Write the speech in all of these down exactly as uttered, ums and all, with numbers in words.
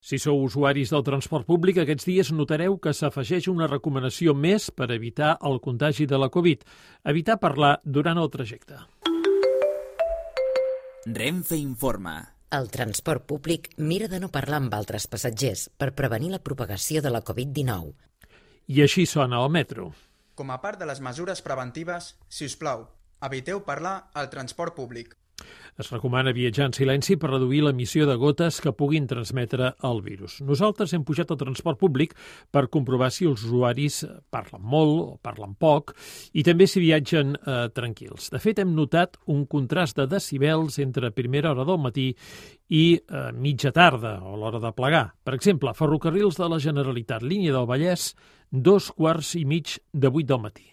Si sou usuaris del transport públic, aquests dies notareu que s'afegeix una recomanació més per evitar el contagi de la Covid. Evitar parlar durant el trajecte. Renfe informa. El transport públic mira de no parlar amb altres passatgers per prevenir la propagació de la Covid dinou. I així sona el metro. Com a part de les mesures preventives, si us plau, eviteu parlar al transport públic. Es recomana viatjar en silenci per reduir l'emissió de gotes que puguin transmetre el virus. Nosaltres hem pujat al transport públic per comprovar si els usuaris parlen molt o parlen poc i també si viatgen eh, tranquils. De fet, hem notat un contrast de decibels entre primera hora del matí i eh, mitja tarda o l'hora de plegar. Per exemple, Ferrocarrils de la Generalitat, línia del Vallès, dos quarts i mig de vuit del matí.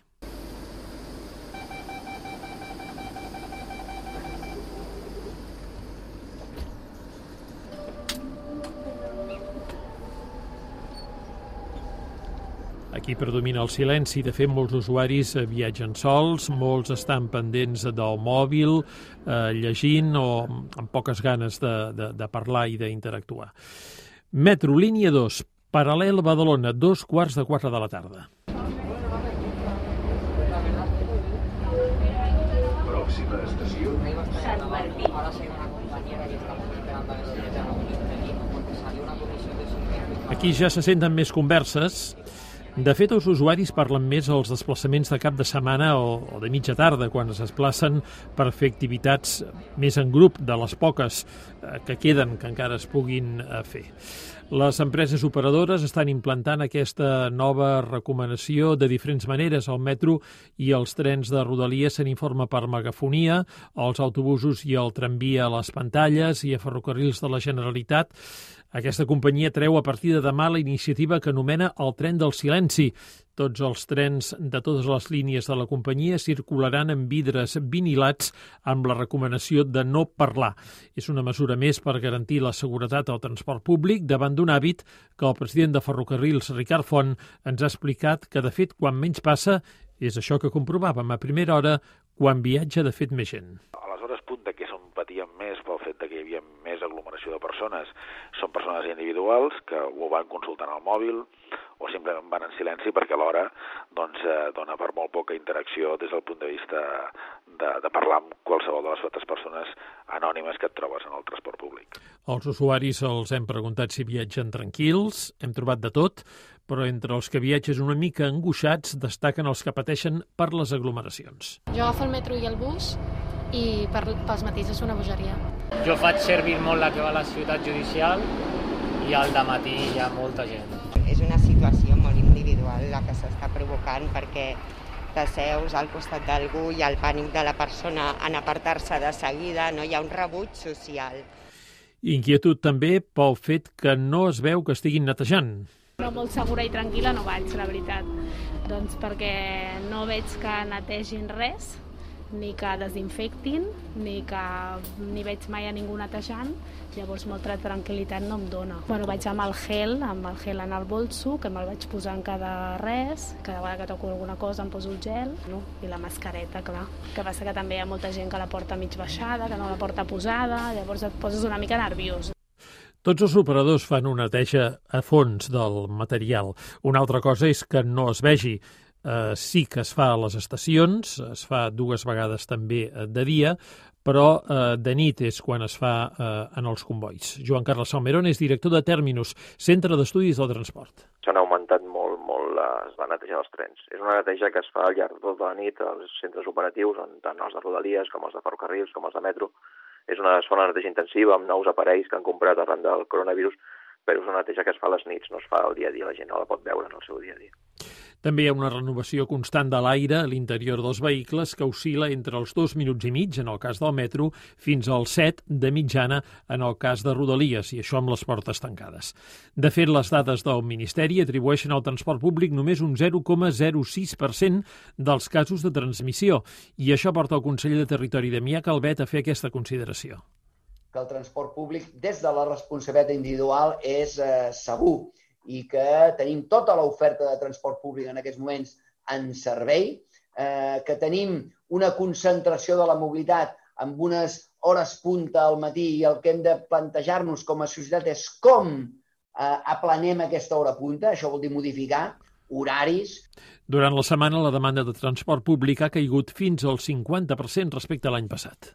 Aquí predomina el silenci. De fet, molts usuaris viatgen sols, molts estan pendents del mòbil, eh, llegint o amb poques ganes de, de, de parlar i d'interactuar. Metro, línia dos, paral·lel Badalona, dos quarts de quatre de la tarda. Pròxima estació. Aquí ja se senten més converses. De fet, els usuaris parlen més als desplaçaments de cap de setmana o, o de mitja tarda, quan es desplacen per fer activitats més en grup, de les poques eh, que queden, que encara es puguin eh, fer. Les empreses operadores estan implantant aquesta nova recomanació de diferents maneres. Al metro i els trens de Rodalies se n'informa per megafonia, als autobusos i el tramvia a les pantalles i a Ferrocarrils de la Generalitat. Aquesta companyia treu a partir de demà la iniciativa que anomena el tren del silenci. Tots els trens de totes les línies de la companyia circularan amb vidres vinilats amb la recomanació de no parlar. És una mesura més per garantir la seguretat al transport públic davant d'un hàbit que el president de Ferrocarrils, Ricard Font, ens ha explicat que, de fet, quan menys passa, és això que comprovàvem a primera hora quan viatja, de fet, més gent. A les hores punta, que som patíem més pel fet que hi havia més aglomeració de persones, són persones individuals que ho van consultant al mòbil o simplement van en silenci perquè alhora doncs, eh, dona per molt poca interacció des del punt de vista de, de parlar amb qualsevol de les altres persones anònimes que et trobes en el transport públic. Els usuaris els hem preguntat si viatgen tranquils, hem trobat de tot, però entre els que viatgen una mica angoixats destaquen els que pateixen per les aglomeracions. Jo agafo el metro i el bus i per, pels matins és una bogeria. Jo faig servir molt la que va a la ciutat judicial i al dematí hi ha molta gent. És una situació molt individual la que s'està provocant perquè t'asseus al costat d'algú i el pànic de la persona en apartar-se de seguida, no hi ha un rebuig social. Inquietud també pel fet que no es veu que estiguin netejant. No, molt segura i tranquil·la no vaig, la veritat. Doncs perquè no veig que netegin res, ni que desinfectin, ni que ni veig mai a ningú netejant, llavors molta tranquil·litat no em dona. Bueno, vaig amb el gel, amb el gel en el bolso, que me'l vaig posar en cada res, cada vegada que toco alguna cosa em poso el gel, no? I la mascareta, clar. Que passa que també hi ha molta gent que la porta mig baixada, que no la porta posada, llavors et poses una mica nerviós. Tots els operadors fan una neteja a fons del material. Una altra cosa és que no es vegi. Uh, sí que es fa a les estacions, es fa dues vegades també de dia, però uh, de nit és quan es fa uh, en els convois. Joan Carles Salmerón és director de Terminus, Centre d'Estudis del Transport. S'han augmentat molt, molt les, la neteja dels trens. És una neteja que es fa al llarg de tota la nit als centres operatius, tant els de Rodalies com els de Ferrocarrils, com els de Metro. És una, es fa una neteja intensiva amb nous aparells que han comprat arran del coronavirus, però és una neteja que es fa a les nits, no es fa al dia a dia, la gent no la pot veure en el seu dia a dia. També hi ha una renovació constant de l'aire a l'interior dels vehicles que oscil·la entre els dos minuts i mig, en el cas del metro, fins als set de mitjana en el cas de Rodalies, i això amb les portes tancades. De fet, les dades del Ministeri atribueixen al transport públic només un zero coma zero sis per cent dels casos de transmissió, i això porta el conseller de Territori, Damià Calvet, a fer aquesta consideració. Que el transport públic, des de la responsabilitat individual, és eh, segur, i que tenim tota l'oferta de transport públic en aquests moments en servei, eh, que tenim una concentració de la mobilitat amb unes hores punta al matí i el que hem de plantejar-nos com a societat és com aplanem aquesta hora punta, això vol dir modificar horaris. Durant la setmana, la demanda de transport públic ha caigut fins al cinquanta per cent respecte a l'any passat.